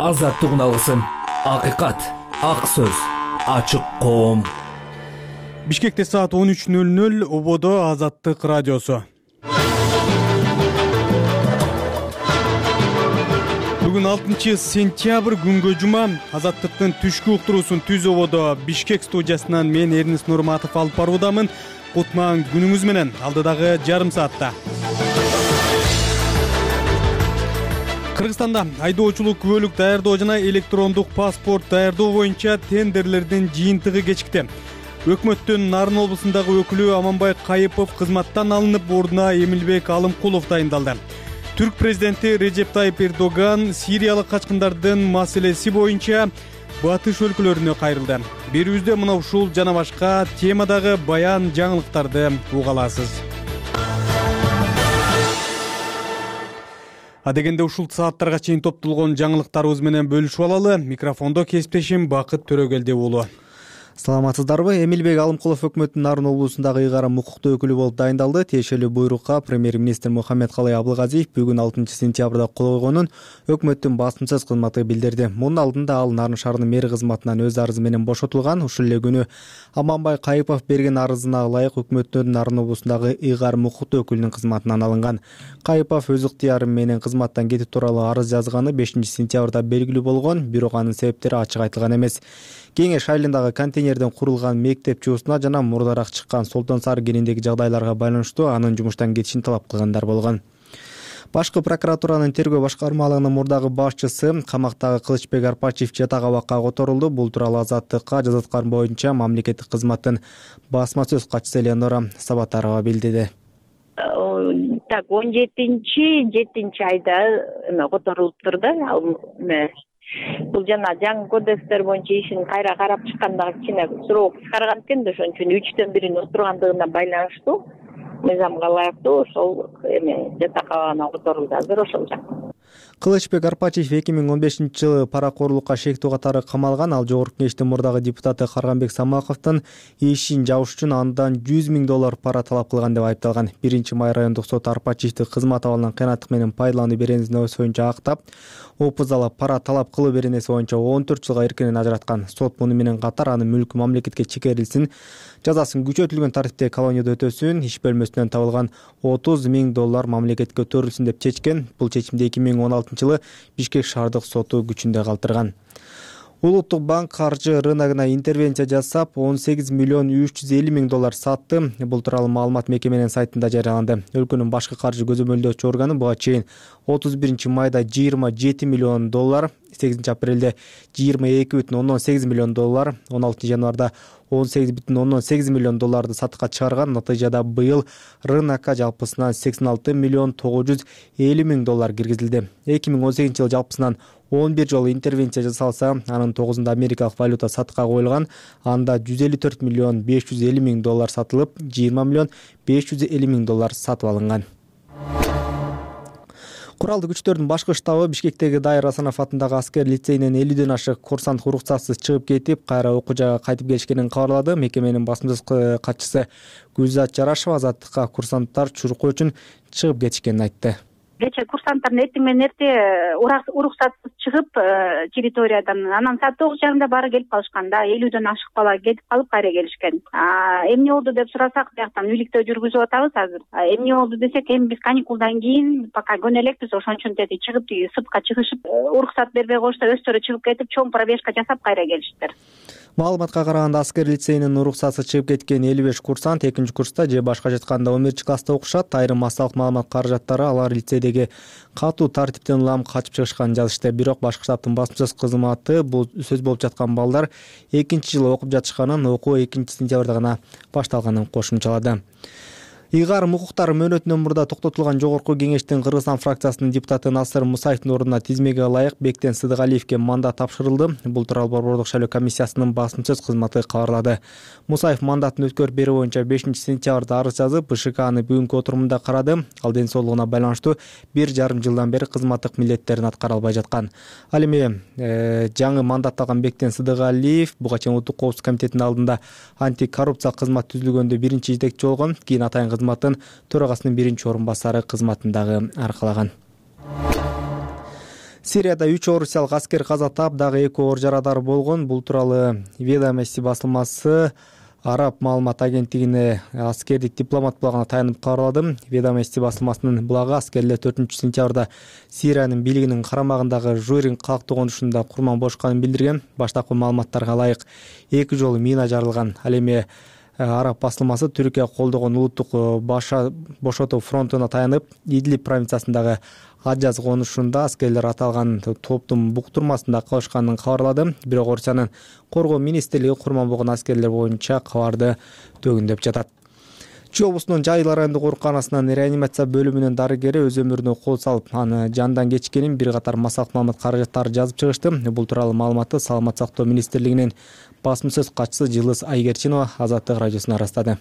азаттык уналысын, акыйкат, ак сөз, ачык коом. Бишкекте саат 13:00, Ободо Азаттык радиосу. Бүгүн 6 сентябрь күнгө жума. Азаттыктын түшкү уктуруусун Түз Ободо Бишкек студиясынан мен Эрнис Нурматов алып баруудамын. Кутман күнүңүз менен алдыдагы жарым саатта. Кыргызстанда айдоочулук күбөлүк даярдоо жана электрондук паспорт даярдоо боюнча тендерлердин жыйынтыгы кечикти. Өкмөттүн Нарын облусундагы өкүлү Аманбай Кайыпов кызматтан алынып, ордуна Эмилбек Алымкулов дайындалды. Түрк президенти Режеп Тайип Эрдоган сириялык качкындардын маселеси боюнча батыш өлкөлөрүнө кайрылды. Берүүбүздө мына ушул жана башка темадагы баян жаңылыктарды уга аласыз. Адегенде ушул сааттарга чейин топтолгон жаңылыктарыбыз менен бөлүшүп алалы. Микрофондо кесиптешим Бакыт Төрөгелди уулу. Саламатсыздарбы? Эмилбек Алымкулов өкмөттүн Нарын облусундагы ыйгарым укуктуу өкүлү болуп дайындалды. Тиешелүү буйрукка премьер-министр Мухаммедкалый Абылгазиев бүгүн 6 сентябрда кол койгонун өкмөттүн басмасөз кызматы билдирди. Мунун алдында ал Нарын шаарынын мэри кызматынан өз арызы менен бошотулган. Ушул эле күнү Аманбай Кайыпов берген арызына ылайык өкмөттүн Нарын облусундагы ыйгарым укуктуу өкүлүнүн кызматынан алынган. Кайыпов өз ыктыяры менен кызматтан кетип тууралуу арыз жазганы 5 сентябрда белгилүү болгон, бирок анын себептери ачык айтылган эмес. Кеңеш айылындагы контейнерден курулган мектеп чуусуна жана мурдараак чыккан Солтон Сары кениндеги жагдайларга байланыштуу анын жумуштан кетишин талап кылгандар болгон. Башкы прокуратуранын тергөө башкармалыгынын мурдагы башчысы камактагы Кылычбек Арпачиев жатак абакка которулду. Бул тууралуу Азаттыкка жазаткан боюнча мамлекеттик кызматтын басма сөз катчысы Элеонора Сабатарова билдирди. Так 17 айда которулуптур да. Бул жана жаңы кодекстер боюнча ишин кайра карап чыкканда кичине суроо кыскарган экен да, ошон үчүн 3-төн 1 отургандыгына байланыштуу мыйзамга ылайыктуу ошол жатак абагына которулду азыр ошол жак. Кылычбек Арпачиев 2015-жылы паракорлукка шектүү катары камалган. Ал жогорку кеңештин мурдагы депутаты Карганбек Самаковдун ишин жабыш үчүн андан $100,000 пара талап кылган деп айыпталган. 1 май райондук сот Арпачиевди кызмат абалынан кыянаттык менен пайдалануу беренеси боюнча актап, опузалап пара талап кылуу беренеси боюнча 14 жылга эркинен ажыраткан. Сот муну менен катар анын мүлкү мамлекетке чекерилсин, жазасын күчөтүлгөн тартипте колонияда өтөсүн, иш бөлмөсүнөн табылган $30,000 мамлекетке өтөрүлсүн деп чечкен. Бул чечимди 2016-жылы Бишкек шаардык соту күчүндө калтырган. Улуттук банк каржы рыногуна интервенция жасап, $18,350,000 сатты. Бул тууралуу маалымат мекеменин сайтында жарыяланды. Өлкөнүн башкы каржы көзөмөлдөөчү органы буга чейин 31 майда $27 миллион, 8 апрелде $22,8 миллион, 16 январда $18,8 миллион сатыкка чыгарган. Натыйжада быйыл рынокко жалпысынан $86,950,000 киргизилди. 2018-жылы жалпысынан 11 жолу интервенция жасалса, анын 9-ында америкалык валюта сатыкка коюлган. Анда $154,550,000 сатылып, $20,550,000 сатып алынган. Куралдуу күчтөрдүн башкы штабы Бишкектеги Дайыр Асанов атындагы аскер лицейинен 50ден ашык курсант уруксатсыз чыгып кетип, кайра окуу жайга кайтып келишкенин кабарлады. Мекеменин басмасөз катчысы Гүлзат Жарашева Азаттыкка курсанттар чуркоо үчүн чыгып кетишкенин айтты. Кече курсанттар эртең менен эрте уруксатсыз чыгып территориядан, анан саат 9:30 баары келип калышкан да, 50ден ашык бала кетип калып кайра келишкен. Эмне болду деп сурасак, бияктан үйлүктөө жүргүзүп атабыз азыр. Эмне болду десек, эми биз каникулдан кийин пока көнө элекпиз, ошон үчүн деди чыгып сыртка чыгышып, уруксат бербей коюшту, өздөрү чыгып кетип, чоң пробежка жасап кайра келиштир. Маалыматка караганда аскер лицейинин уруксатсыз чыгып кеткен 55 курсант 2-курста же башка жатканда 11-класста окушат. Айрым массалык маалымат каражаттары алар лицейдеги катуу тартиптен улам качып чыгышканын жазышты. Бирок башкы штабтын басмасөз кызматы бул сөз болуп жаткан балдар 2-жылы окуп жатышканын, окуу 2 сентябрда гана башталганын кошумчалады. Ыйгарым укуктар мөөнөтүнөн мурда токтотулган жогорку кеңештин Кыргызстан фракциясынын депутаты Насыр Мусаевдин ордуна тизмеге ылайык Бектен Сыдыгалиевге мандат тапшырылды. Бул тууралуу Борбордук шайлоо комиссиясынын басмасөз кызматы кабарлады. Мусаев мандатын өткөрүп берүү боюнча 5 сентябрда арыз жазып, БШК аны бүгүнкү отурумунда карады. Ал ден соолугуна байланыштуу 1,5 жылдан бери кызматтык милдеттерин аткара албай жаткан. Ал эми жаңы мандат алган Бектен Сыдыгалиев буга чейин Улуттук коопсуздук комитетинин алдында антикоррупция кызмат түзүлгөндө биринчи жетекчи болгон, кийин атайын кызматтын төрагасынын 1-орун басары кызматын дагы аркалаган. Сирияда 3 орусиялык аскер каза таап, дагы 2 оор жарадар болгон. Бул тууралуу Ведомости басылмасы Араб маалымат агенттигине аскердик дипломат булагына таянып кабарлады. Ведомости басылмасынын булагы аскерлер 4-сентябрда Сириянын бийлигинин карамагындагы Журин калктуу конушунда курман болушканын билдирген. Баштапкы маалыматтарга ылайык 2 жолу мина жарылган. Ал эми Араб басылмасы Түркия колдогон улуттук бошотуу фронтуна таянып, Идлиб провинциясындагы Аджаз конушунда аскерлер аталган топтун буктурмасында калышканын кабарлады. Бирок Орусиянын коргоо министрлиги курман болгон аскерлер боюнча кабарды төгүндөп жатат. Чүй облусунун Жайыл райондук ооруканасынын реанимация бөлүмүнүн дарыгери өз өмүрүнө кол салып, аны жандан кечкенин бир катар массалык маалымат каражаттары жазып чыгышты. Бул тууралуу маалыматты Саламат сактоо министрлигинин басма сөз катчысы Жылыс Айгерчинова Азаттык радиосуна ырастады.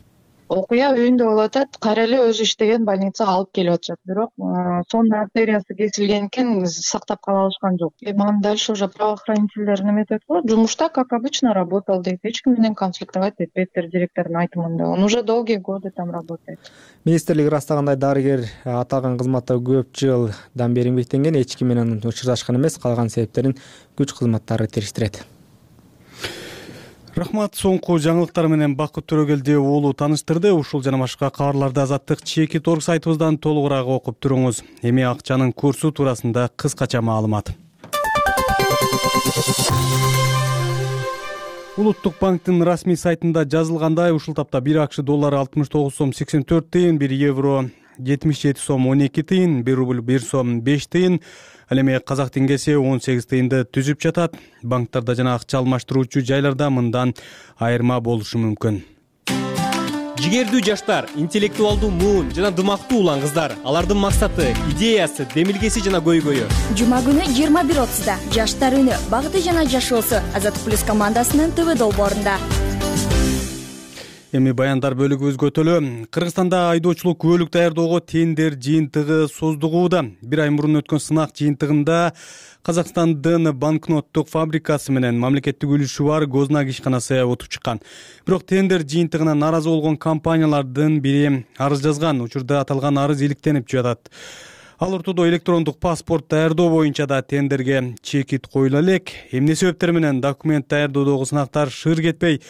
Окуя үйүндө болуп атат, кайра эле өзү иштеген больницага алып келип атышат. Бирок сонун артериясы кесилген экен, сактап кала алышкан жок. Мага дальше уже правоохранительдер неметет го. Жумушта, как обычно, работал дейт. Эч ким менен конфликтовать этпейт, директордун айтымында. Он уже долгие годы там работает. Министрлик ырастагандай, дарыгер аталган кызматта көп жылдан бери эмгектенген, эч ким менен учурдашкан эмес, калган себептерин күч кызматтары териштирет. Рахмат. Соңку жаңылыктар менен Бакыт Төрөгелди уулу тааныштырды. Ушул жана башка кабарларды Азаттык чекит орг сайтыбыздан толугураак окуп туруңуз. Эми акчанын курсу туурасында кыскача маалымат. Улуттук банктын расмий сайтында жазылгандай, ушул тапта 1 АКШ доллары 69 сом 84 тыйын, 1 евро 77 сом 12 тыйын, 1 рубль 1 сом 5 тыйын, ал эми казак теңгеси 18 тыйынды түзүп жатат. Банктарда жана акча алмаштыруучу жайларда мындан айырма болушу мүмкүн. Жигердүү жаштар, интеллектуалдуу муун жана дымактуу улан кыздар. Алардын максаты, идеясы, демилгеси жана көйгөйү. Жума күнү 21:30да Жаштар үнү, багыты жана жашоосу Азаттык плюс командасынын ТВ долбоорунда. Эми баяндар бөлүгүбүзгө өтөлү. Кыргызстанда айдоочулук күбөлүк даярдоого тендер жыйынтыгы создугууда. Bir ай мурун өткөн сынак жыйынтыгында Казакстандын банкноттук фабрикасы менен мамлекеттик үлүшү бар Гознак ишканасы утуп чыккан. Бирок тендер жыйынтыгына нааразы болгон компаниялардын бири арыз жазган. Учурда аталган арыз иликтенип жатат. Ал ортодо электрондук паспорт даярдоо боюнча да тендерге чекит коюла элек. Эмне себептер менен документ даярдоодогу сынактар шыр кетпей,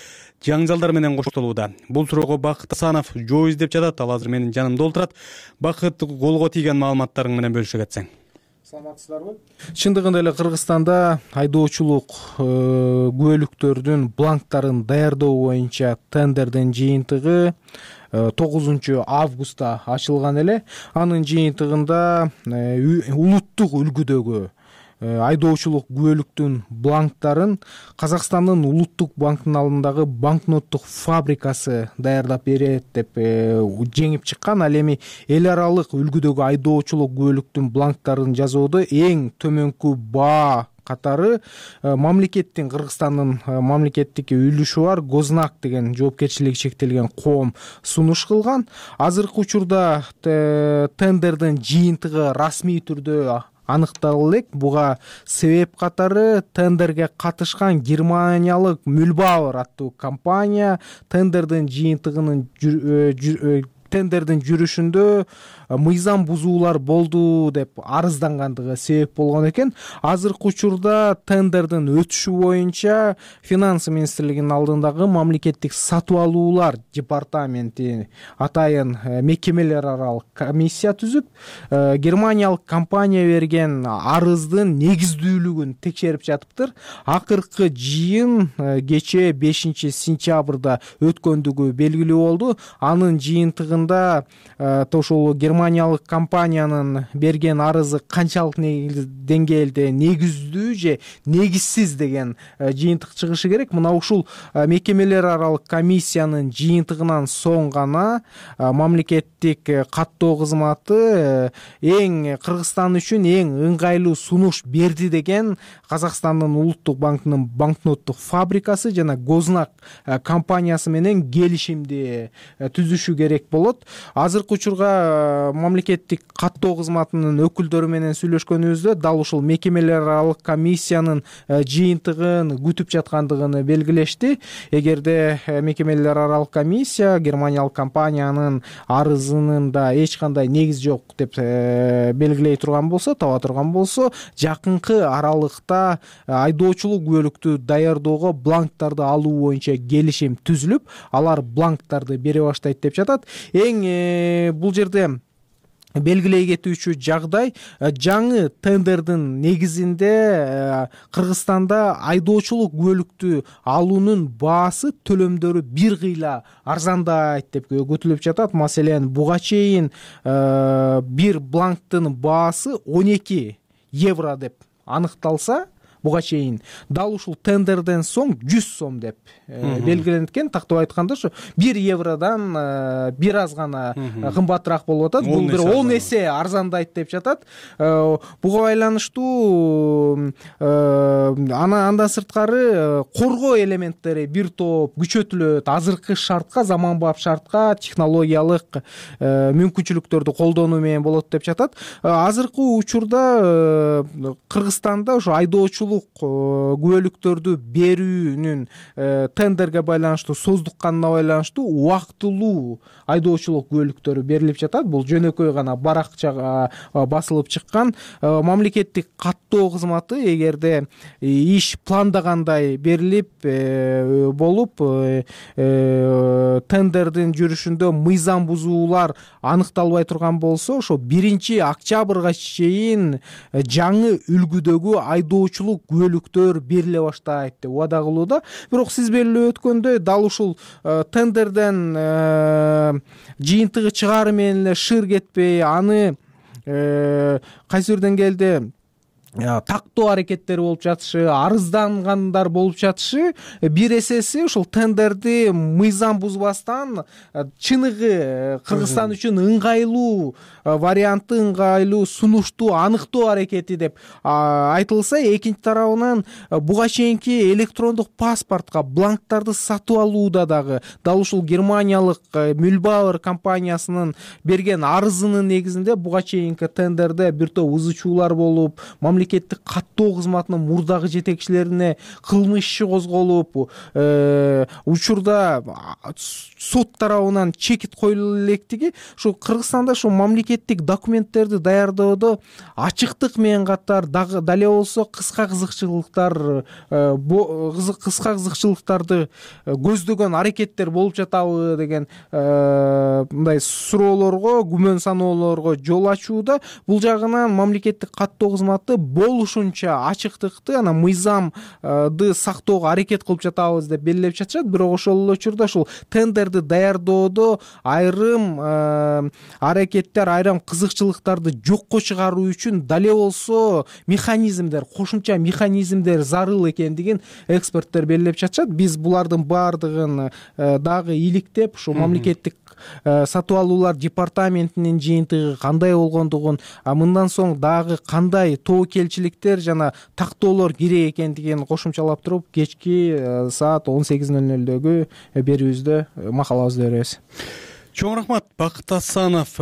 жаңжалдар менен коштолууда? Бул суроого Бакыт Асанов жооп издеп жатат. Ал азыр менин жанымда отурат. Бакыт, колго тийген маалыматтарың менен бөлүшө кетсең. Саламатсыздарбы? Чындыгында эле Кыргызстанда айдоочулук күбөлүктөрдүн бланктарын даярдоо боюнча тендердин жыйынтыгы 9 августта ачылган эле. Анын жыйынтыгында улуттук үлгүдөгү айдоочулук күбөлүктүн бланктарын Казакстандын улуттук банктын алдындагы банкноттук фабрикасы даярдап берет деп жеңип чыккан. Ал эми эл аралык үлгүдөгү айдоочулук күбөлүктүн бланктарын жасоодо эң төмөнкү баа катары мамлекеттин, Кыргызстандын мамлекеттик үлүшү бар Гознак деген жоопкерчилиги чектелген коом сунуш кылган. Азыркы учурда тендердин жыйынтыгы расмий түрдө аныкталып элек. Буга себеп катары тендерге катышкан германиялык Мülbauer аттуу компания тендердин жыйынтыгынын тендердин жүрүшүндө мыйзам бузуулар болду деп арыздангандыгы себеп болгон экен. Азыркы учурда тендердин өтүшү боюнча Финансы министрлигинин алдындагы мамлекеттик сатып алуулар департаменти атайын мекемелер аралык комиссия түзүп, германиялык компания берген арыздын негиздүүлүгүн текшерип жатыптыр. Акыркы жыйын кечээ 5 сентябрда өткөндүгү белгилүү болду. Анын жыйынтыгында ошол германиялык компаниянын берген арызы канчалык деңгээлде негиздүү же негизсиз деген жыйынтык чыгышы керек. Мына ушул мекемелер аралык комиссиянын жыйынтыгынан соң гана мамлекеттик каттоо кызматы Кыргызстан үчүн эң ыңгайлуу сунуш берди деген Казакстандын улуттук банкынын банкноттук фабрикасы жана Гознак компаниясы менен келишимди түзүшү керек болот. болот. Азыркы учурга мамлекеттик каттоо кызматынын өкүлдөрү менен сүйлөшкөнүбүздө дал ушул мекемелер аралык комиссиянын жыйынтыгын күтүп жаткандыгын белгилешти. Эгерде мекемелер аралык комиссия германиялык компаниянын арызынын да эч кандай негиз жок деп белгилей турган болсо, таба турган болсо, жакынкы аралыкта айдоочулук күбөлүктү даярдоого бланктарды алуу боюнча келишим түзүлүп, алар бланктарды бере баштайт деп жатат. Бул жерде белгилей кетүүчү жагдай, жаңы тендердин негизинде Кыргызстанда айдоочулук күбөлүктү алуунун баасы, төлөмдөрү бир кыйла арзандайт деп күтүлүп жатат. Маселен, буга чейин бир бланктын баасы 12 евро деп аныкталса, буга чейин дал ушул тендерден соң 100 сом деп белгиленген. Тактап айтканда, ушу 1 евродан бир аз гана кымбатыраак болуп атат. Бул бир 10 эсе арзандайт деп жатат. Буга байланыштуу андан сырткары коргоо элементтери бир топ күчөтүлөт. Азыркы шартка, заманбап шартка, технологиялык мүмкүнчүлүктөрдү колдонуу менен болот деп жатат. Азыркы учурда Кыргызстанда ошо айдоочулук күбөлүктөрдү берүүнүн тендерге байланыштуу создукканына байланыштуу убактылуу айдоочулук күбөлүктөрү берилип жатат. Бул жөнөкөй гана баракчага басылып чыккан. Мамлекеттик каттоо кызматы эгерде иш пландагандай берилип болуп, тендердин жүрүшүндө мыйзам бузуулар аныкталбай турган болсо, ошо 1-октябрга чейин жаңы үлгүдөгү айдоочулук күбөлүктөр бериле баштайт деп убада кылууда. Бирок сиз белгилеп өткөндөй, дал ушул тендерден жыйынтыгы чыгаары менен эле шыр кетпей, аны кайсы бир деңгээлде тактоо аракеттери болуп жатышы, арыздангандар болуп жатышы, бир эсеси ушул тендерди мыйзам бузбастан чыныгы Кыргызстан үчүн ыңгайлуу вариантты, ыңгайлуу сунушту аныктоо аракети деп айтылса, экинчи тарабынан буга чейинки электрондук паспортко бланктарды сатып алууда дагы дал ушул германиялык Mühlbauer компаниясынын берген арызынын негизинде буга чейинки тендерде бир топ ызычуулар болуп, мамлекеттик каттоо кызматынын мурдагы жетекчилерине кылмыш иши козголуп, учурда сот тарабынан чекит коюла электиги, ушу Кыргызстанда ушу мамлекеттик документтерди даярдоодо ачыктык менен катар дале болсо кыска кызыкчылыктарды көздөгөн аракеттер болуп жатабы деген мындай суроолорго, күмөн саноолорго жол ачууда. Бул жагынан мамлекеттик каттоо кызматы болушунча ачыктыкты, анан мыйзамды сактоого аракет кылып жатабыз деп белгилеп жатышат. Бирок ошол эле учурда ушул тендерди даярдоодо айрым аракеттер, айрым кызыкчылыктарды жокко чыгаруу үчүн дале болсо механизмдер, кошумча механизмдер зарыл экендигин эксперттер белгилеп жатышат. Биз булардын баардыгын дагы иликтеп, ушу мамлекеттик сатып алуулар департаментинин жыйынтыгы кандай болгондугун, мындан соң дагы кандай тобокелчиликтер жана тактоолор керек экендигин кошумчалап туруп, кечки саат 18:00дөгү берүүбүздө макалабызды беребиз. Чоң рахмат, Бакыт Асанов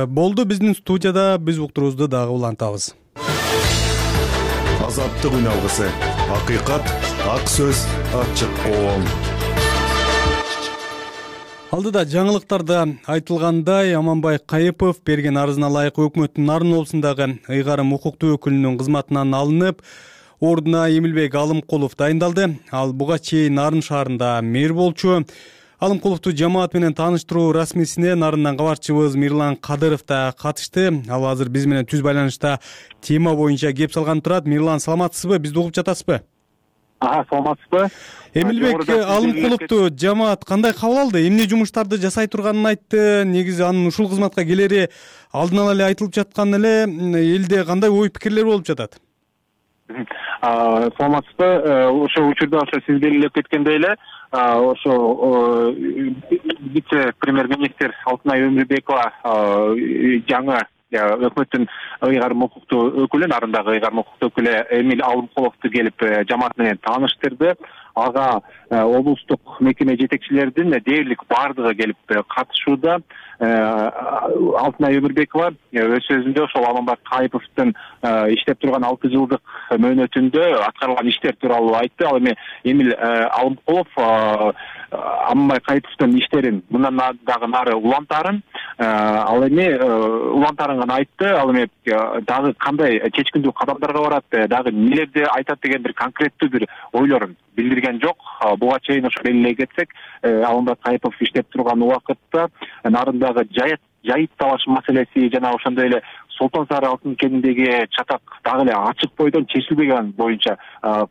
болду биздин студияда. Биз уктуруубузду дагы улантабыз. Азаттык үн алгысы, акыйкат, ак сөз, ачык коом. Алдыда жаңылыктарда айтылгандай, Аманбай Кайыпов берген арызына ылайык өкмөттүн Нарын облусундагы ыйгарым укуктуу өкүлүнүн кызматынан алынып, ордуна Эмилбек Алымкулов дайындалды. Ал буга чейин Нарын шаарында мэр болчу. Алымкуловду жамаат менен тааныштыруу расмисине Нарындан кабарчыбыз Мирлан Кадыров да катышты. Ал азыр биз менен түз байланышта тема боюнча кеп салган турат. Мирлан, саламатсызбы? Бизди угуп жатасызбы? Саламатсызбы? Эмилбек Алымкуловду жамаат кандай кабыл алды? Эмне жумуштарды жасай турганын айтты. Негизи анын ушул кызматка келери алдын ала эле айтылып жаткан эле. Элде кандай ой пикирлер болуп жатат? Саламатсызбы? Ошо учурда сиз белгилеп кеткендей эле, ошо вице-премьер-министр Алтынай Өмүрбекова жаңы өкмөттүн ыйгарым укуктуу өкүлү, Нарындагы ыйгарым укуктуу өкүлү Эмил Алымкуловду келип жамаат менен тааныштырды. ага облустук мекеме жетекчилердин дээрлик баардыгы келип катышууда. Алтынай Өмүрбекова өз сөзүндө ошол Аманбай Кайыповдун иштеп турган 6 жылдык мөөнөтүндө аткарылган иштер тууралуу айтты. Ал эми Эмил Алымкулов Аманбай Кайыповдун иштерин мындан дагы нары улантарын, ал эми улантарын гана айтты. Ал эми дагы кандай чечкиндүү кадамдарга барат, дагы нелерди айтат деген бир конкреттүү бир ойлорун билдирген жок. Буга чейин ошо белгилей кетсек, Аманбай Кайыпов иштеп турган убакытта нарындагы жайыт талаш маселеси жана ошондой эле Солтон Сары алтын кенindеги чатак дагы эле ачык бойдон чечилбеген боюнча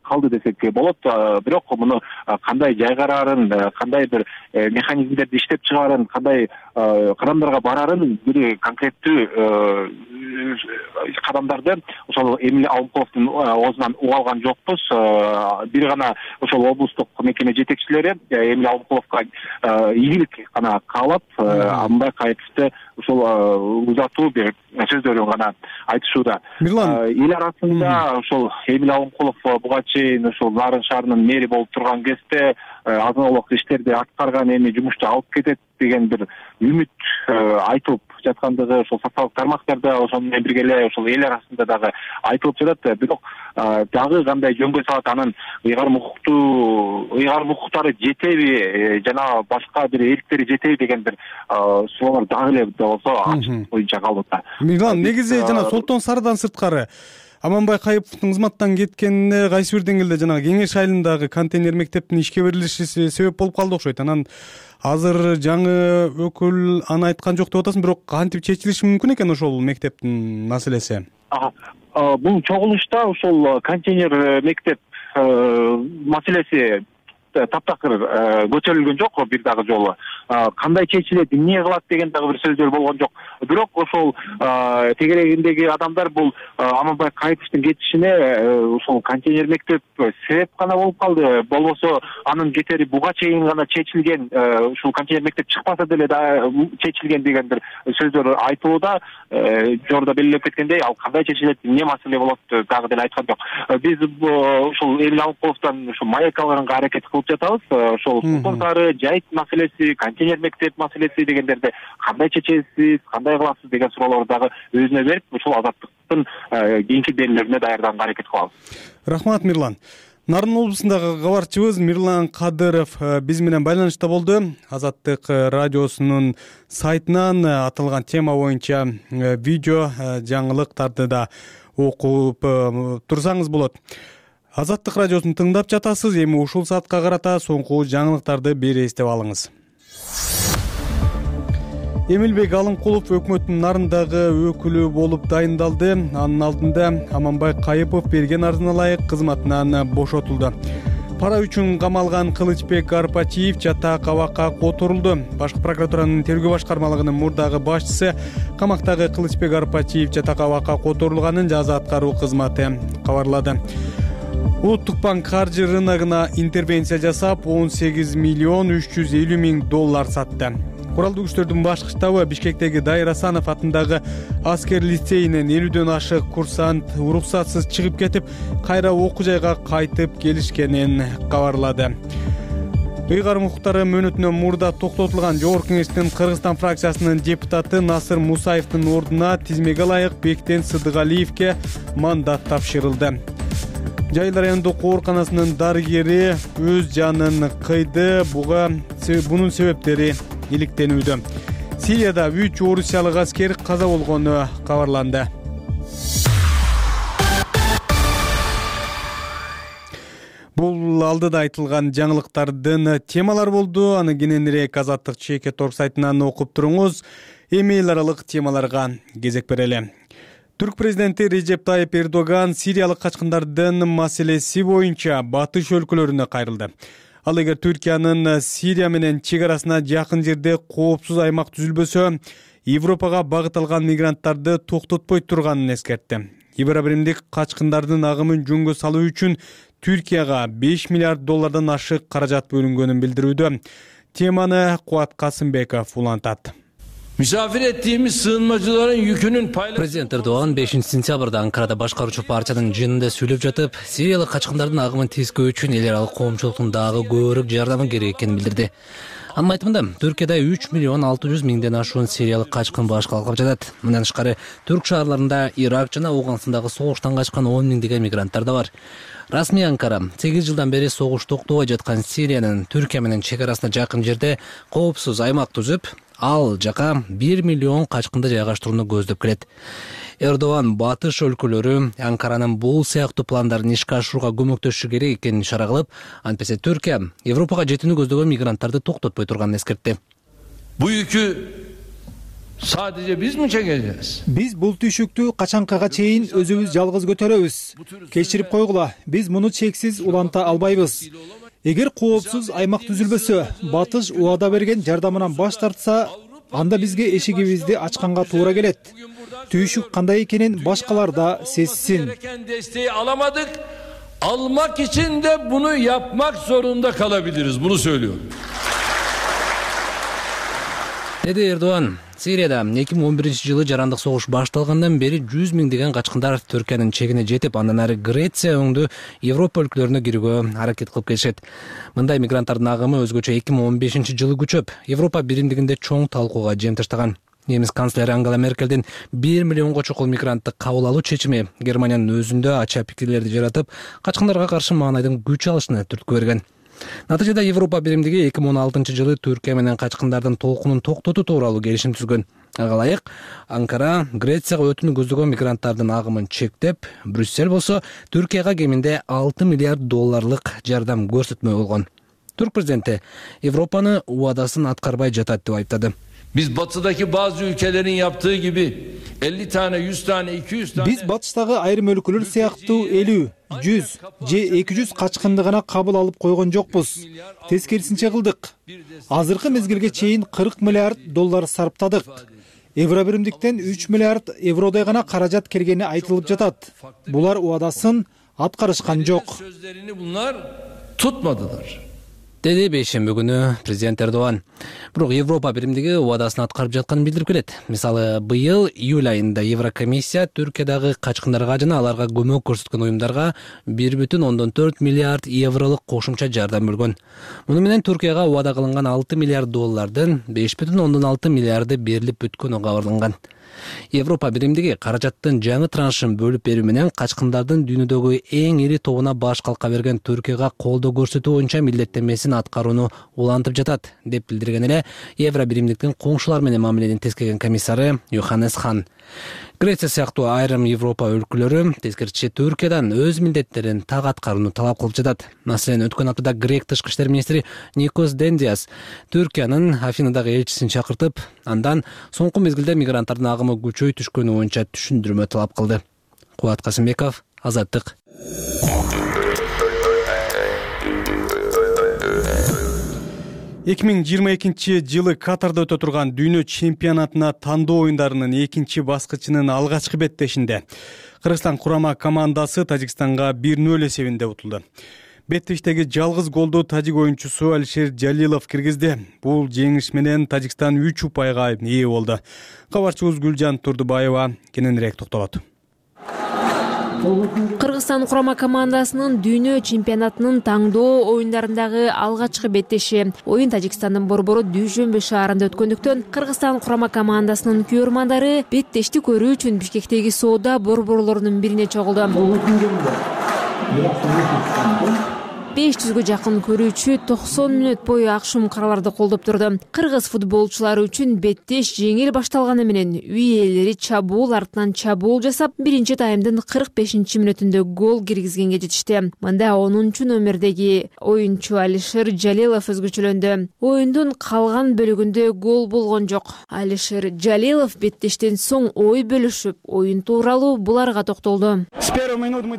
калды десек болот. Бирок муну кандай жайгарарын, кандай бир механизмдерди иштеп чыгаарын, кандай кадамдарга барарын бир конкреттүү кадамдарды ошол Эмил Алымкуловдун оозунан уга алган жокпуз. Бир гана ошол облустук мекеме жетекчилери Эмил Алымкуловго ийгилик гана каалап, Аманбай Кайыповду ошол узатуу бир сөздөрүн гана айтышууда. Эл арасында ошол Эмил Алымкулов буга чейин ошол Нарын шаарынын мэри болуп турган кезде азын-олук иштерди аткарган, эми жумушту алып кетет деген бир үмүт айтылып жаткандыгы ошол социалдык тармактарда, ошол менен бирге эле ошол эл арасында дагы айтылып жатат. Бирок дагы кандай жөнгө салат, анын ыйгарым укуктары жетеби жана башка бир эрктери жетеби деген бир суроолор дагы эле болсо ачык боюнча калууда. Мирлан, негизи жана Солтон Сарыдан сырткары Аманбай Кайыповдун кызматтан кеткенине кайсы бир деңгээлде жана Кеңеш айылындагы контейнер мектептин ишке берилиши себеп болуп калды окшойт. Анан азыр жаңы өкүл аны айткан жок деп атасың, бирок кантип чечилиши мүмкүн экен ошол мектептин маселеси? Бул чогулушта ошол контейнер мектеп маселеси таптакыр көтөрүлгөн жок бир дагы жолу. Кандай чечилет, эмне кылат деген дагы бир сөздөр болгон жок. Бирок ошол тегерегиндеги адамдар бул Аманбай Кайыповдун кетишине ошол контейнер мектеп себеп гана болуп калды. Болбосо анын кетери буга чейин гана чечилген, ушул контейнер мектеп чыкпаса деле чечилген деген бир сөздөр айтылууда. Жордо белгилеп кеткендей, ал кандай чечилет, эмне маселе болот дагы деле айткан жок. Биз ошол Эмил Алымкуловдон ошол маек алганга аракет кылып жатабыз. Ошол Солтон Сары жайыт маселеси, контейнер мектеп маселеси дегендерди кандай чечесиз, кандай кыласыз деген суроолорду дагы өзүнө берип, ушул азаттыктын кийинки берүүлөрүнө даярданганга аракет кылабыз. Рахмат, Мирлан. Нарын облусундагы кабарчыбыз Мирлан Кадыров биз менен байланышта болду. Азаттык радиосунун сайтынан аталган тема боюнча видео жаңылыктарды да окуп турсаңыз болот. Азаттык радиосун тыңдап жатасыз. Эми ушул саатка карата соңку жаңылыктарды бир эстеп алыңыз. Эмилбек Алымкулов өкмөттүн нарындагы өкүлү болуп дайындалды. Анын алдында Аманбай Кайыпов берген арызына ылайык кызматынан бошотулду. Пара үчүн камалган Кылычбек Арпачиев чатак абакка которулду. Башкы прокуратуранын тергөө башкармалыгынын мурдагы башчысы камактагы Кылычбек Арпачиев чатак абакка которулганын жаза аткаруу кызматы кабарлады. Улуттук банк каржы рыногуна интервенция жасап, 18 миллион 350 миң доллар сатты. Куралдуу күчтөрдүн башкы штабы Бишкектеги Дайыр Асанов атындагы аскер лицейинен 50дөн ашык курсант уруксатсыз чыгып кетип, кайра окуу жайга кайтып келишкенин кабарлады. Ыйгарым укуктары мөөнөтүнөн мурда токтотулган Жогорку Кеңештин Кыргызстан фракциясынын депутаты Насыр Мусаевдин ордуна тизмеге ылайык Бектен Сыдыгалиевке мандат тапшырылды. Жайыл райондук ооруканасынын дарыгери өз жанын кыйды. Бунун себептери иликтенүүдө. Сирияда 3 орусиялык аскер каза болгону кабарланды. Бул алдыда айтылган жаңылыктардын темалар болду. Аны кененирээк Азаттык ЧК сайтынан окуп туруңуз. Эми эл аралык темаларга кезек берели. Түрк президенти Режеп Тайып Эрдоган сириялык качкындардын маселеси боюнча батыш өлкөлөрүнө кайрылды. Ал эгер Түркиянын Сирия менен чек арасына жакын жерде коопсуз аймак түзүлбөсө, Европага багыт алган мигранттарды токтотпой турганын эскертти. Евробиримдик качкындардын агымын жөнгө салуу үчүн Түркияга 5 миллиард доллардан ашык каражат бөлүнгөнүн билдирүүдө. Теманы Кубат Касымбеков улантат. Misafir ettiğimiz sığınmacıların yükünün paylaşılması. Президент Эрдоган 5 сентябрда Анкарада башкаруучу партиянын жыйынында сүйлөп жатып, Сириялык качкындардын агымын тескөө үчүн эл аралык коомчулуктун дагы көбүрөөк жардамы керек экенин билдирди. Анын айтымында, Түркияда 3 миллион 600 миңден ашуун сириялык качкын баш калкып жатат. Мындан тышкары, Түрк шаарларында Ирак жана Ауганстандагы согуштан качкан 10 миңдеген мигранттар да бар. Расмий Анкара 8 жылдан бери согуш токтобой жаткан Сириянын Түркия менен чек арасына жакын жерде коопсуз аймак түзүп, ал жака 1 миллион качкынды жайгаштырууну көздөп келет. Эрдоган батыш өлкөлөрү Анкаранын бул сыяктуу пландарын ишке ашырууга көмөктөшүшү керек экенин ишара кылып, антпесе Түркия Европага жетүүнү көздөгөн мигранттарды токтотпой турганын эскертти. Bu yükü sadece biz mi çekeceğiz? Биз бул түйшүктү качанкага чейин өзүбүз жалгыз көтөрөбүз. Кечирип койгула, биз муну чексиз уланта албайбыз. Эгер коопсуз аймак түзүлбөсө, батыш убада берген жардамынан баш тартса, анда бизге эшигибизди ачканга туура келет. Түйшүк кандай экенин башкалар да сезсин. Gereken desteği alamadık. Almak için de bunu yapmak zorunda kalabiliriz. Bunu söylüyorum. Деди Эрдоган, Сирияда 2011-жылы жарандык согуш башталгандан бери 100 миңдеген качкындар Түркиянын чегине жетип, андан ары Греция өңдүү Европа өлкөлөрүнө кирүүгө аракет кылып келишет. Мындай мигранттардын агымы өзгөчө 2015-жылы күчөп, Европа биримдигинде чоң талкууга жем таштаган. Немис канцлери Ангела Меркелдин 1 миллионго чукул мигрантты кабыл алуу чечими Германиянын өзүндө ача пикирлерди жаратып, качкындарга каршы маанайдын күч алышына түрткү берген. Натыйжада Европа биримдиги 2016-жылы Түркия менен качкындардын толкунун токтотуу тууралуу келишим түзгөн. Ага ылайык, Анкара Грецияга өтүүнү көздөгөн мигранттардын агымын чектеп, Брюссель болсо Түркияга кеминде 6 миллиард долларлык жардам көрсөтмөй болгон. Түрк президенти Европаны убадасын аткарбай жатат деп айыптады. Biz batıdaki bazı ülkelerin yaptığı gibi 50 tane, 100 tane, 200 tane. Биз батыштагы айрым өлкөлөр сыяктуу 50, 100 же 200 качкынды гана кабыл алып койгон жокпуз. Тескерисинче кылдык. Азыркы мезгилге чейин 40 миллиард доллар сарптадык. Евро биримдиктен 3 миллиард евродой гана каражат келгени айтылып жатат. Булар убадасын аткарышкан жок. Sözlerini bunlar tutmadılar. Деди бейшемби күнү президент Эрдоган. Бирок Европа биримдиги убадасын аткарып жатканын билдирип келет. Мисалы, быйыл июль айында Еврокомиссия Түркиядагы качкындарга жана аларга көмөк көрсөткөн уюмдарга 1,4 миллиард евролук кошумча жардам бөлгөн. Муну менен Түркияга убада кылынган 6 миллиард доллардын 5,6 миллиарды берилип бүткөнү кабарланган. Европа биримдиги каражаттын жаңы траншын бөлүп берүү менен качкындардын дүйнөдөгү эң ири тобуна баш калка берген Түркияга колдоо көрсөтүү боюнча милдеттенмесин аткарууну улантып жатат, деп билдирген эле Евро биримдиктин коңшулар менен мамилени тескерген комиссары Йоханнес Хан. Греция сыяктуу айрым Европа өлкөлөрү тескерисинче Түркиядан өз милдеттерин так аткарууну талап кылып жатат. Маселен, өткөн аптада грек тышкы иштер министри Никос Дендиас Түркиянын Афинадагы элчисин чакыртып, андан соңку мезгилде мигранттардын агымы күчөй түшкөнү боюнча түшүндүрмө талап кылды. Кубат Касымбеков, Азаттык. 2022-жылы Катарда өтө турган дүйнө чемпионатына тандоо оюндарынын экинчи баскычынын алгачкы беттешинде Кыргызстан курама командасы Тажикстанга 1-0 эсебинде утулду. Беттештеги жалгыз голду тажик оюнчусу Алишер Жалилов киргизди. Бул жеңиш менен Тажикстан 3 упайга ээ болду. Кабарчыбыз Гүлжан Турдубаева кененирээк токтолот. Кыргызстан курама командасынын дүйнө чемпионатынын таңдоо оюндарындагы алгачкы беттеши оюн Тажикстандын борбору Дүйшөмбү шаарында өткөндүктөн Кыргызстан курама командасынын көрөрмандары беттешти көрүү үчүн Бишкектеги соода борборлорунун бирине чогулду. 500гө жакын көрүүчү 90 мүнөт бою ак шум караларды колдоп турду. Кыргыз футболчулары үчүн беттеш жеңил башталганы менен үй ээлери чабуул артынан чабуул жасап, биринчи таймдын 45-мүнөтүндө гол киргизгенге жетишти. Мында 10-номердеги оюнчу Алишер Жалилов өзгөчөлөндү. Оюндун калган бөлүгүндө гол болгон жок. Алишер Жалилов беттештен соң ой бөлүшүп, оюн тууралуу буларга токтолду.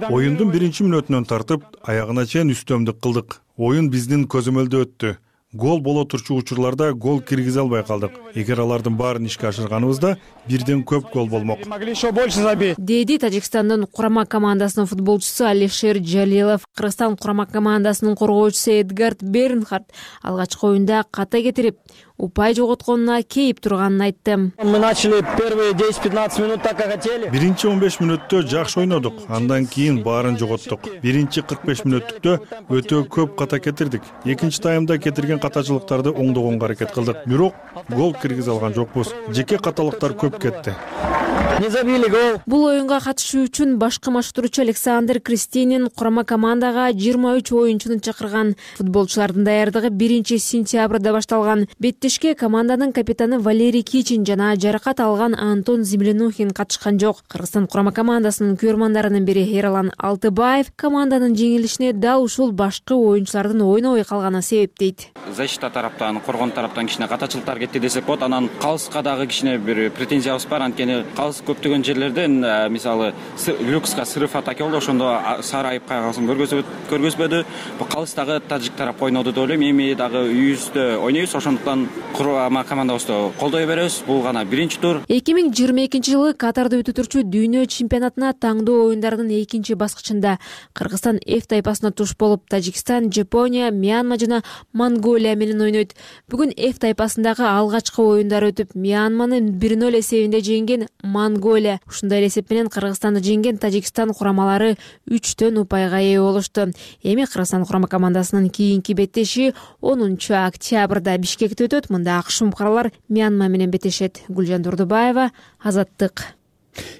Оюндун биринчи мүнөтүнөн тартып, аягына чейин үстөмдүк кылдык. Оюн биздин көзөмөлдө өттү. Гол боло турчу учурларда гол киргизе албай калдык. Эгер алардын баарын ишке ашырганыбызда бирден көп гол болмок. Деди Тажикстандын курама командасынын футболчусу Алишер Жалилов. Кыргызстан курама командасынын коргоочусу Эдгард Бернхард алгачкы оюнда ката кетирип, упай жоготконуна кейип турганын айтты. Мы начали первые 10-15 минут так, как хотели. Биринчи 15 мүнөттө жакшы ойнодук, андан кийин баарын жоготтук. Биринчи 45 мүнөттүктө өтө көп ката кетирдик. Экинчи таймда кетирген катачылыктарды оңдогонго аракет кылдык. Бирок гол киргизе алган жокпуз. Жеке каталыктар көп кетти. Бул оюнга катышуу үчүн башкы машыктыруучу Александр Кристинин курама командага 23 оюнчуну чакырган. Футболчулардын даярдыгы 1-сентябрда башталган. Беттешке команданын капитаны Валерий Кичин жана жаракат алган Антон Землянухин катышкан жок. Кыргызстан курама командасынын көрмандарынын бири Эралан Алтыбаев команданын жеңилишине дал ушул башкы оюнчулардын ойнобой калганы себеп дейт. Защита тараптан, коргон тараптан кичине катачылыктар кетти десек болот. Анан калыска дагы кичине бир претензиябыз бар. Анткени калыс көптөгөн жерлерден мисалы люкска срыв атака болду, ошондо сары айып кайгысын көргөзбөдү. Бул калыс дагы тажик тарап ойноду деп ойлойм. Эми дагы үйүбүздө ойнойбуз, ошондуктан курама командабызды колдой беребиз. Бул гана биринчи тур. 2022-жылы Катарда өтө турчу дүйнө чемпионатына таңдоо оюндарынын экинчи баскычында Кыргызстан F тайпасына туш болуп, Тажикстан, Жапония, Мьянма жана Монголия менен ойнойт. Бүгүн F тайпасындагы алгачкы оюндар өтүп, Мьянманы 1-0 эсебинде жеңген Монголия, ушундай эсеп менен Кыргызстанды жеңген Тажикстан курамалары 3-төн упайга ээ болушту. Эми Кыргызстан курама командасынын кийинки беттеши 10-октябрда Бишкекте өтөт. Мында ак шумкаралар Мьянма менен беттешет. Гүлжан Дурдубаева, Азаттык.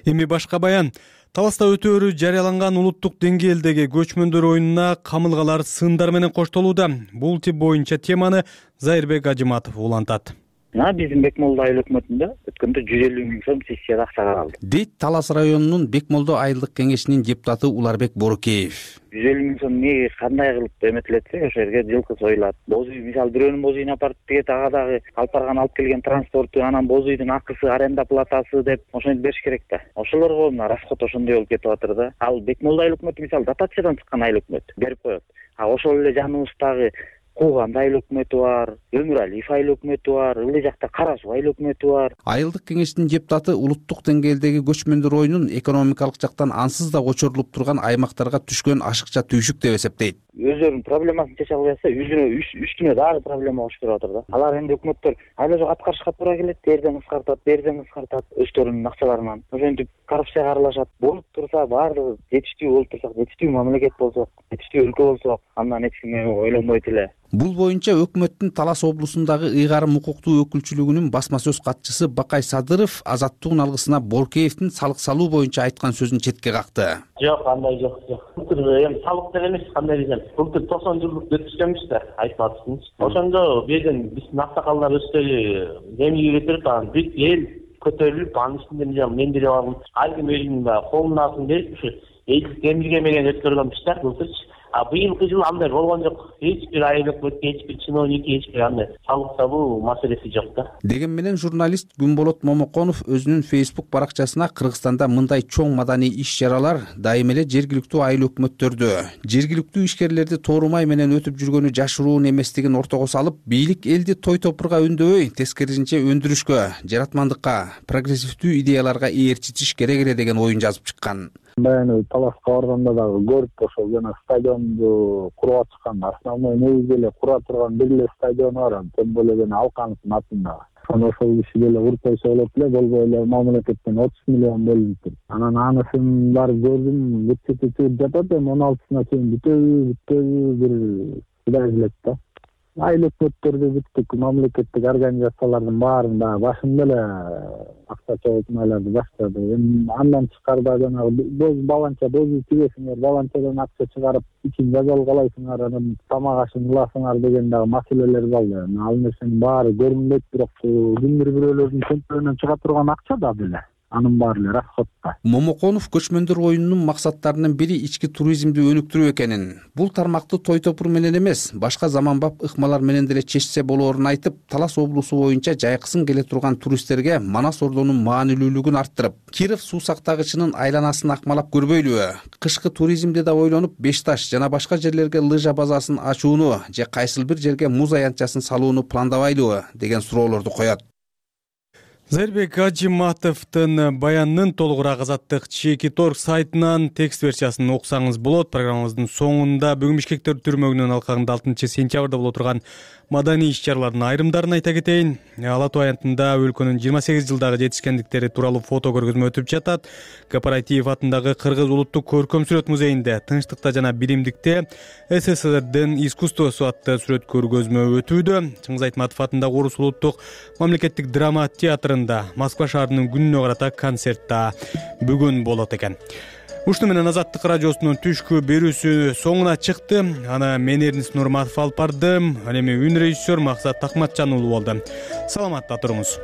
Эми башка баян. Таласта өтөөрү жарыяланган улуттук деңгээлдеги көчмөндөр оюнуна камылгалар сындар менен коштолууда. Бул тип боюнча теманы Зайырбек Ажыматов улантат. Биздин Бекмолдо айыл өкмөтүндө өткөндө 150 миң сом сессияда акча каралды. Дейт Талас районунун Бекмолдо айылдык кеңешинин депутаты Уларбек Борукеев. 150 миң сом эмнеге кандай кылып эметилетсе, ошол жерге жылкы союлат. Бозүй, мисалы бирөөнүн бозуйун апарып тигет, ага дагы алып барган алып келген транспорту, анан бозуйдун акысы, аренда платасы деп ошону бериш керек да. Ошолорго мына расход ошондой болуп кетип атыр да. Ал Бекмолдо айыл өкмөтү мисалы дотациядан чыккан айыл өкмөт берип коет. Ошол эле жаныбыздагы Кууганды айыл өкмөтү бар, Өмүралиев айыл өкмөтү бар, ылдый жакта Кара Суу айыл өкмөтү бар. Айылдык кеңештин депутаты улуттук деңгээлдеги көчмөндөр оюнун экономикалык жактан ансыз да очорулуп турган аймактарга түшкөн ашыкча түйшүк деп эсептейт. Өздөрүнүн проблемасын чече албай атса, үстүнө дагы проблема болуштуруп атыр да. Алар энди өкмөттөр айла жок аткарышка туура келет, берден кыскартат өздөрүнүн акчаларынан. Ошентип коррупцияга аралашат. Болуп турса баардыгы жетиштүү болуп турсак, жетиштүү мамлекет болсок, жетиштүү өлкө болсок, андан эч ким ойлонбойт эле. Бул боюнча өкмөттүн Талас облусундагы ыйгарым укуктуу өкүлчүлүгүнүн басма сөз катчысы Бакай Садыров азаттыктын алгысына Боркеевдин салык салуу боюнча айткан сөзүн четке какты. Жок, андай жок. Эми салык деле эмес, кандай десем, былтыр 90 жылдык өткүзгөнбүз да, айтып атышсыз. Ошондо биздин аксакалдар өздөрү земиге кетирип, анан бүт эл көтөрүлүп, анын ичинде мендирип алып, ар ким өзүнүн колунасын берип, ушу элдик демилге менен өткөргөнбүз да былтырчы. Быйылкы жылы андай болгон жок. Эч бир айыл өкмөткө, эч бир чиновник, эч бир андай салык салуу маселеси жок да. Деген менен журналист Күнболот Момоконов өзүнүн Facebook баракчасына Кыргызстанда мындай чоң маданий иш-чаралар дайым эле жергиликтүү айыл өкмөттөрдө, жергиликтүү ишкерлерди тоорумай менен өтүп жүргөнү жашыруун эместигин ортого салып, бийлик элди той топурга өндөбөй, тескерисинче өндүрүшкө, жаратмандыкка, прогрессивдүү идеяларга ээрчитиш керек эле деген оюн жазып чыккан. Баягы Таласка барганда дагы көрүп ошол жана стадионду куруп атышкан, основной негизги эле кура турган бир эле стадион бар, тем более Алкановдун атында. Ошол киши деле куруп койсо болот эле, болбой эле мамлекеттен 30 миллион бөлүнүптүр. Анан анысын барып көрдүм, бүтүп жатат, эми 16-сына чейин бүтөбү бир Кудай билет да. Айыл өкмөттөрдү бүттүк, мамлекеттик организациялардын баарында башында эле акча чогултмаларды баштады. Эми андан тышкарыда жанагы баланча бозу тигесиңер, баланчадан акча чыгарып, ичин жазалгалайсыңар, анан тамак ашын ыласыңар деген дагы маселелер калды. Ал нерсенин баары көрүнбөйт, бирок кимдир бирөөлөрдүн чөнтөгүнөн чыга турган акча да беле. Анын баары эле расходто. Момоконов көчмөндөр оюнунун максаттарынын бири ички туризмди өнүктүрүү экенин, бул тармакты той топур менен эмес, башка заманбап ыкмалар менен деле чечсе болоорун айтып, Талас облусу боюнча жайкысын келе турган туристтерге Манас ордонун маанилүүлүгүн арттырып, Киров суу сактагычынын айланасын акмалап көрбөйлүбү, кышкы туризмди да ойлонуп, Бешташ жана башка жерлерге лыжа базасын ачууну же кайсыл бир жерге муз аянтчасын салууну пландабайлыбы деген суроолорду коет. Зайырбек Ажиматовдун баянынын толугураак Азаттык Чекиторг сайтынан текст версиясын окусаңыз болот. Программабыздын соңунда бүгүн Бишкектер түрмөгүнүн алкагында 6-сентябрда боло турган маданий иш-чаралардын айрымдарын айта кетейин. Ала Тоо аянтында өлкөнүн 28 жылдагы жетишкендиктери тууралуу фото көргөзмө өтүп жатат. Кооператив атындагы Кыргыз улуттук көркөм сүрөт музейинде тынчтыкта жана биримдикте СССРдин искусствосу аттуу сүрөт көргөзмө өтүүдө. Чыңгыз Айтматов атындагы Орус улуттук мамлекеттик драма театрында Москва шаарынын күнүнө карата концерт да бүгүн болот экен. Ушуну менен Азаттык радиосунун түшкү берүүсү соңуна чыкты. Аны мен Эрнис Нурматов алып бардым. Ал эми үн режиссер Максат Такматжан уулу болду. Саламатта туруңуз.